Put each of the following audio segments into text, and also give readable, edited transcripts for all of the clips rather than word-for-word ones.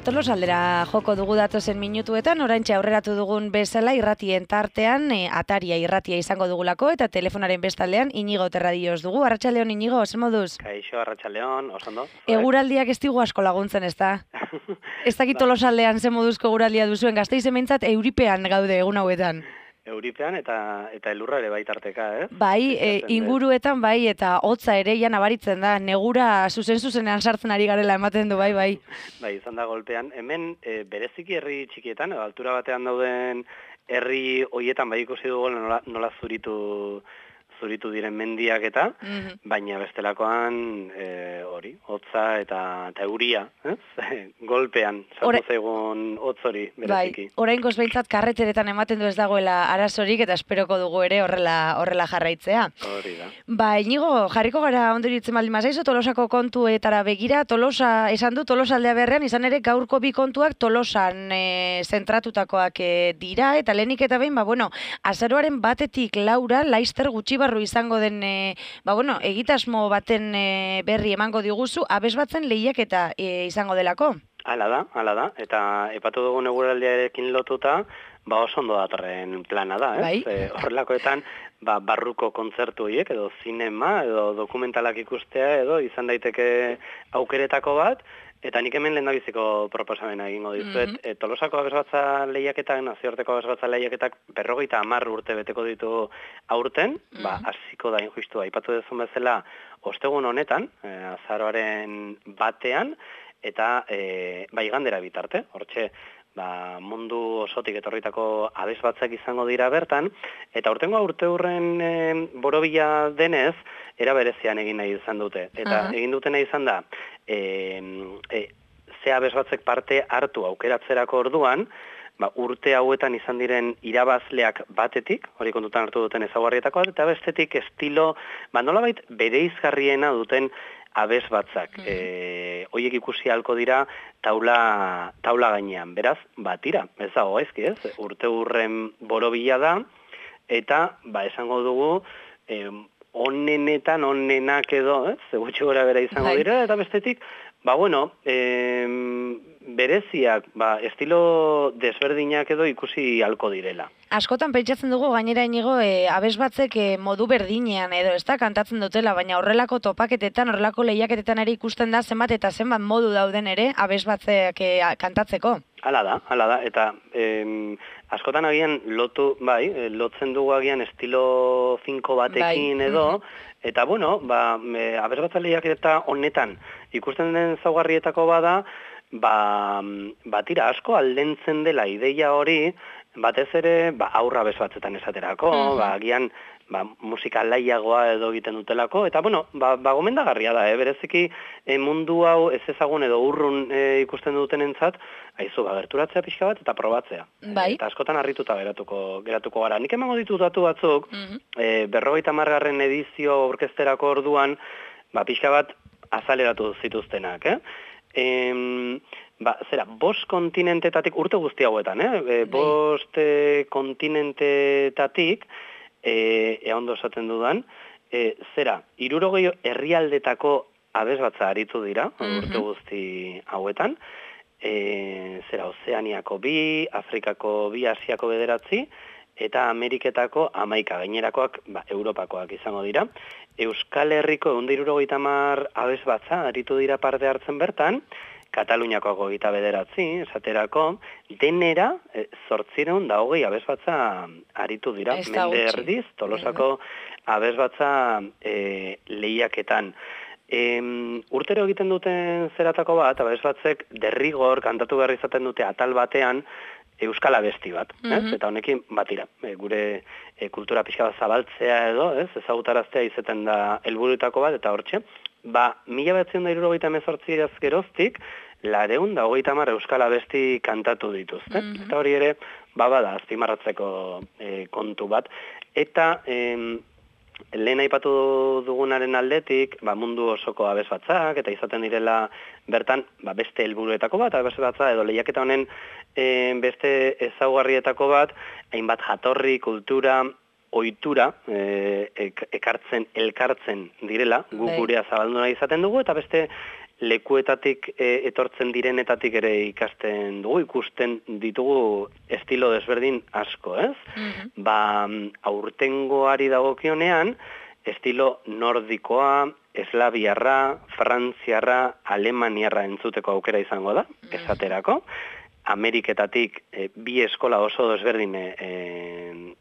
Tolosaldera joko dugu datozen minutuetan, oraintxe aurreratu dugun bezala irratien tartean, Ataria irratia izango dugulako, eta telefonaren bestaldean Inigo Terradillos dugu. Arratsaldeon Inigo, zer moduz? Kaixo, arratsaldeon, oso ondo. Eguraldiak ez digu asko laguntzen, ez da? Ez dakit Tolosaldean zer moduzko eguraldia duzuen, Gasteizen behintzat euripean gaude egun hauetan. Euripean eta elurra ere baitarteka, ez? Bai, inguruetan bai, eta hotza ere ja nabaritzen da, negura zuzenean sartzen ari garela ematen du, bai. Bai, izan da golpean. Hemen bereziki herri txikietan, altura batean dauden herri hoietan bai ikusi dugu nola zuritu diren mendiak eta, baina bestelakoan hori, hotza eta euria, ez? Golpean, sartu zaigun hotz hori, bereziki. Bai, oraingoz behintzat karreteretan ematen du ez dagoela arazorik eta esperoko dugu ere horrela jarraitzea. Hori da. Ba, Inigo, jarriko gara ondoritzen baldin bazaizu, Tolosako kontuetara begira, Tolosa, esan du, Tolosaldea berrean, izan ere gaurko bi kontuak Tolosan zentratutakoak dira, eta lehenik eta behin, azaroaren 1-tik 4 Laister gutxi barru izango den, egitasmo baten berri emango diguzu, abesbatzen lehiaketa izango delako. Hala da, eta epatu dugun eguraldiarekin lotuta, oso ondo datorren plana da, ez? Bai. Horrelakoetan, barruko kontzertu horiek, edo zinema, edo dokumentalak ikustea, edo izan daiteke aukeretako bat, eta nik hemen lehendabiziko proposamena egingo dizuet. Tolosako abesbatza lehiaketak, nazioarteko abesbatza lehiaketak 50 urte beteko ditu aurten, hasiko da injustu aipatu dezun bezala ostegun honetan, azaroaren 1ean, eta igandera bitarte, hortxe, mundu osotik etorritako abesbatzak izango dira bertan, eta urtengo urteurren borobila denez, era berezian egin nahi izan dute. Eta egin dutena izan da, ze abesbatzek parte hartu aukeratzerako orduan, urte hauetan izan diren irabazleak batetik, hori kontutan hartu duten ezaugarrietako bat, eta bestetik estilo, nolabait bereizgarriena duten abesbatzak. Hoiek ikusi halko dira taula gainean. Beraz, tira, ez dago gaizki, ez? Urte urren borobila da, eta, esango dugu, onenetan, onenak edo, ez? Gutxi gora bera izango dira, eta bestetik, bereziak, estilo desberdinak edo ikusi halko direla. Askotan pentsatzen dugu gainera Inigo abesbatzek modu berdinean edo ez da kantatzen dutela, baina horrelako topaketetan, horrelako lehiaketetan ere ikusten da zenbat eta zenbat modu dauden ere abesbatzek kantatzeko. Hala da, eta askotan agian lotzen dugu agian estilo finko batekin edo, eta abesbatza lehiaketa honetan ikusten den zaugarrietako bada, tira asko aldentzen dela ideia hori, batez ere aurra abesbatzetan esaterako, agian musika laiagoa edo egiten dutelako, eta gomendagarria da, bereziki mundu hau ez ezagun edo urrun ikusten duten entzat, gerturatzea pixka bat eta probatzea. Eta askotan harrituta geratuko gara. Nik emango ditut datu batzuk, 50. edizio orkesterako orduan, pixka bat azaleratu zituztenak, 5 kontinentetatik, urte guzti hauetan, 5 kontinentetatik, ondo esaten dudan, 60 herrialdetako abesbatza aritu dira, urte guzti hauetan, Ozeaniako 2, Afrikako 2, Asiako 9, eta Ameriketako 11, gainerakoak Europakoak izango dira. Euskal Herriko 170 abesbatza aritu dira parte hartzen bertan, Kataluniakoako 29, esaterako, denera 820 abesbatza aritu dira. Mende erdiz, Tolosako abesbatza lehiaketan. Urtero egiten duten zeratako bat, abesbatzek derrigor kantatu behar izaten dute atal batean euskal abesti bat, eta honekin batira, gure kultura pixka bat zabaltzea edo, ezagutaraztea izaten da helburuetako bat, eta hortxe, 1978 geroztik, 230 euskal abesti kantatu dituzte, eta hori ere, bada, azpimarratzeko kontu bat, eta lehen aipatu dugunaren aldetik, mundu osoko abesbatzak, eta izaten direla bertan, beste helburuetako bat, abesbatza edo lehiaketa honen beste ezaugarrietako bat, hainbat jatorri, kultura, ohitura elkartzen direla, gu gurea zabaldu nahi izaten dugu, eta beste lekuetatik etortzen direnetatik ere ikasten dugu, ikusten ditugu estilo desberdin asko, ez? Aurtengoari dagokionean, estilo nordikoa, eslaviarra, frantziarra, alemaniarra entzuteko aukera izango da, esaterako. Ameriketatik bi eskola oso desberdin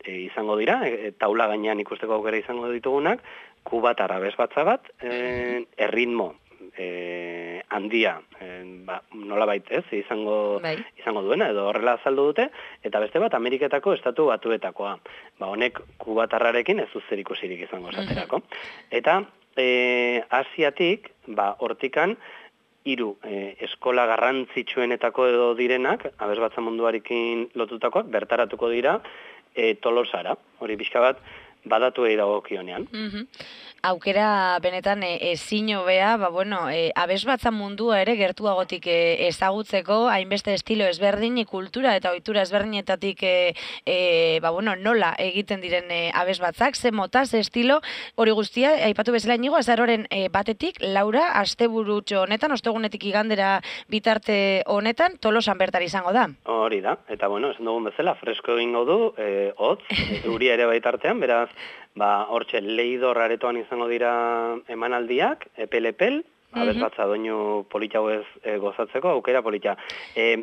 izango dira, taula gainean ikusteko aukera izango ditugunak, kubatar abesbatza bat, erritmo handia, nolabait ez, izango duena, edo horrela azaldu dute, eta beste bat Ameriketako estatu batuetakoa. Honek kubatarrarekin ez zer ikusirik izango esaterako. Eta Asiatik, hortikan, 3 eskola garrantzitsuenetako edo direnak, abesbatza munduarekin lotutakoak, bertaratuko dira Tolosara. Hori pixka bat, badatuei dagokionean. Aukera benetan ezin hobea, abesbatza mundua ere gertuagotik ezagutzeko, hainbeste estilo ezberdin, kultura eta ohitura ezberdinetatik nola egiten diren abesbatzak, ze mota, ze estilo, hori guztia, aipatu bezala Inigo, azaroaren batetik, Laura, asteburutxo honetan, ostegunetik igandera bitarte honetan, Tolosan bertara izango da. Hori da, eta esan dugun bezala, fresko egingo du, hotz, euria ere baitartean, beraz, hortxe, Leidor aretoan izango dira emanaldiak, epel-epel, abesbatza doinu politxau ez gozatzeko, aukera politxa.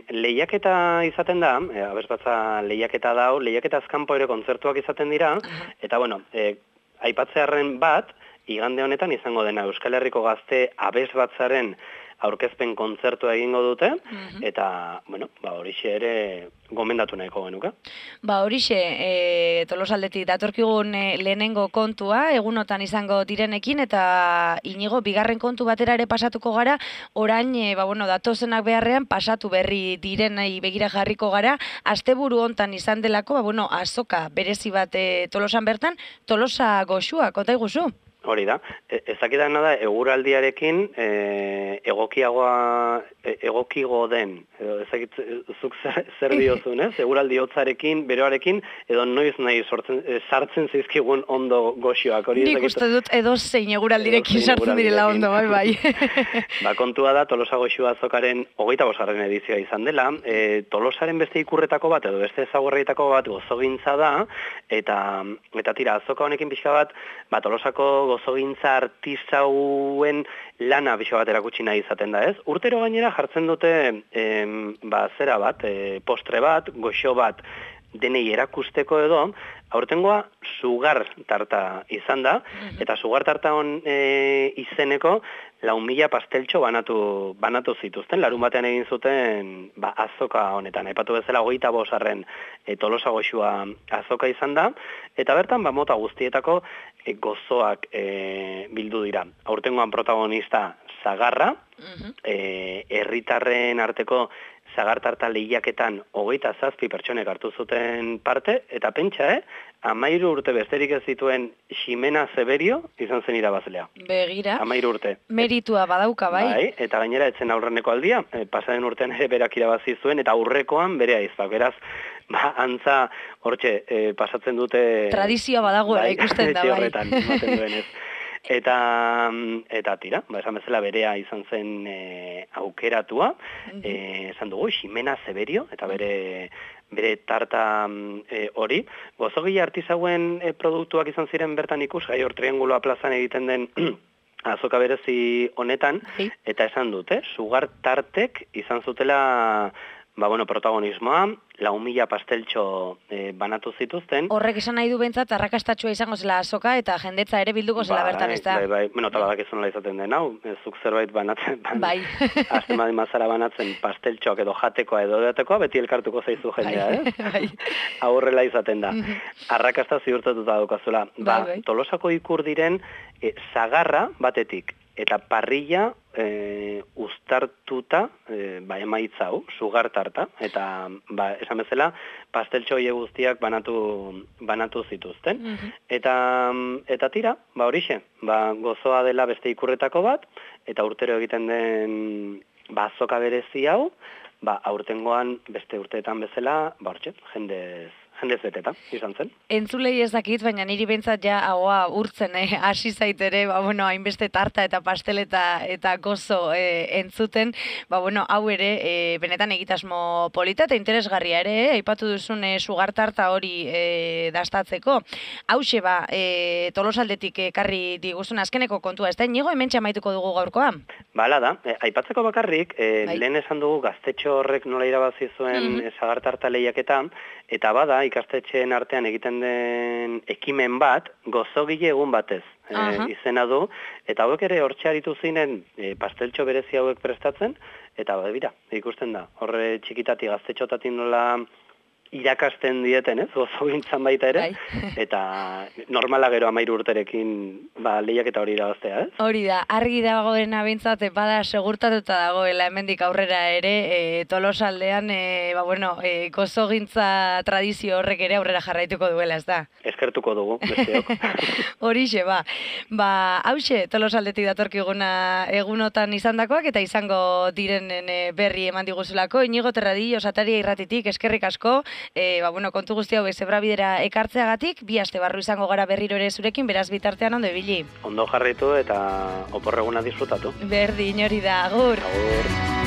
Lehiaketa izaten da, abesbatza lehiaketa dau, lehiaketa azkanpo ere kontzertuak izaten dira, eta aipatzearren bat, igande honetan izango dena Euskal Herriko Gazte abesbatzaren aurkezpen kontzertua egingo dute, eta, horixe ere gomendatu nahiko genuke. Horixe, Tolosaldetik datorkigun lehenengo kontua, egunotan izango direnekin, eta Inigo, bigarren kontu batera ere pasatuko gara, orain, datozenak beharrean pasatu berri direnei begira jarriko gara, asteburu hontan izan delako, azoka berezi bat Tolosan bertan, Tolosa goxua, konta iguzu? Hori da, ezakitana da, eguraldiarekin egokigo den, zuk zer diozun, ez? Eguraldi hotzarekin, beroarekin, edo noiz nahi sartzen zizkigun ondo goxioak. Nik uste dut edo zein eguraldirekin sartzen direla ondo, bai. Kontua da, Tolosa goxua azokaren 25. edizioa izan dela, Tolosaren beste ikurretako bat, edo beste ezagurretako bat gozogintza da, eta tira, azoka honekin pixka bat, Tolosako gozogintza artisauen lana pixka bat erakutsi nahi izaten da, ez? Urtero gainera jartzen dute zera bat, postre bat, goxo bat denei erakusteko edo, aurtengoa sugar tarta izan da, eta sugar tarta hon izeneko 4.000 pasteltxo banatu zituzten, larun batean egin zuten azoka honetan. Aipatu bezala 25. Tolosa goxua azoka izan da, eta bertan mota guztietako gozoak bildu dira. Aurtengoan protagonista Sagarra, herritarren arteko zagartarta lehiaketan 27 pertsonek hartu zuten parte, eta pentsa, 13 urte besterik ez zituen Ximena Zeberio izan zen irabazlea. Begira. 13 urte. Meritua badauka, bai? Bai, eta gainera etzen aurreneko aldia, pasaren urtean ere berak irabazi zuen, eta aurrekoan bere aizpak. Beraz, antza hortxe pasatzen dute... Tradizioa badagoela ikusten da, bai. Horretan, ematen duenez. Eta tira, esan bezala berea izan zen aukeratua, esan dugu, Ximena Zeberio, eta bere tarta hori. Gozogile artisauen produktuak izan ziren bertan ikusgai, hor Trianguloa plazan egiten den azoka berezi honetan, eta esan dute, sugar tartek izan zutela protagonismoa, 4.000 pasteltxo banatu zituzten. Horrek esan nahi du bentsat, arrakastatxua izango zela azoka, eta jendetza ere bilduko zela bertan, ez da? Bai, tabadak ez nola izaten den, hau, zuk zerbait banatzen, azten badin mazara banatzen pasteltxoak edo jatekoa edo edatekoa, beti elkartuko zaizu jendea, Aurrela izaten da. Arrakasta ziurtatuta daukazula. Tolosako ikur diren Sagarra batetik, eta parrilla uztartuta emaitza hau, sugar tarta, eta esan bezala pasteltxo guztiak banatu zituzten. Eta tira, horixe, gozoa dela beste ikurretako bat, eta urtero egiten den azoka berezi hau, aurtengoan beste urteetan bezala, hortxe, jendez jendez beteta, izan zen. Entzulei ez dakit, baina niri behintzat ja haua urtzen hasi zaitere, hainbeste tarta eta pastel eta gozo entzuten, hau ere benetan egitasmo polita eta interesgarria ere, aipatu duzun sugar tarta hori dastatzeko. Hauxe Tolosaldetik ekarri diguzun azkeneko kontua, ez da inigo hementxe amaituko dugu gaurkoa? Bala da, aipatzeko bakarrik, lehen esan dugu gaztetxo horrek nola irabazi zuen sagar tarta lehiaketa, eta bada ikastetxeen artean egiten den ekimen bat, gozogile egun batez izena du, eta hauek ere hortxe aritu zinen pasteltxo berezi hauek prestatzen, eta bera, ikusten da, horre txikitati gaztetxotatik nola irakasten dieten, gozogintzan baita ere, eta normala gero 13 urterekin lehiaketa hori irabaztea, Hori da, argi dagoena behintzat, bada segurtatuta dagoela hemendik aurrera ere, Tolosaldean, gozogintza tradizio horrek ere aurrera jarraituko duela, ez da? Eskertuko dugu, besteok. Horixe, hauxe, Tolosaldetik datorkiguna egunotan izandakoak eta izango direnen berri eman diguzulako. Inigo Terradillo, Sataria Irratitik, eskerrik asko, kontu guzti hau Zebrabidera ekartzeagatik, 2 aste barru izango gara berriro ere zurekin, beraz bitartean ondo ibili. Ondo jarraitu eta oporreguna disfrutatu. Berdin hori da, agur. Agur.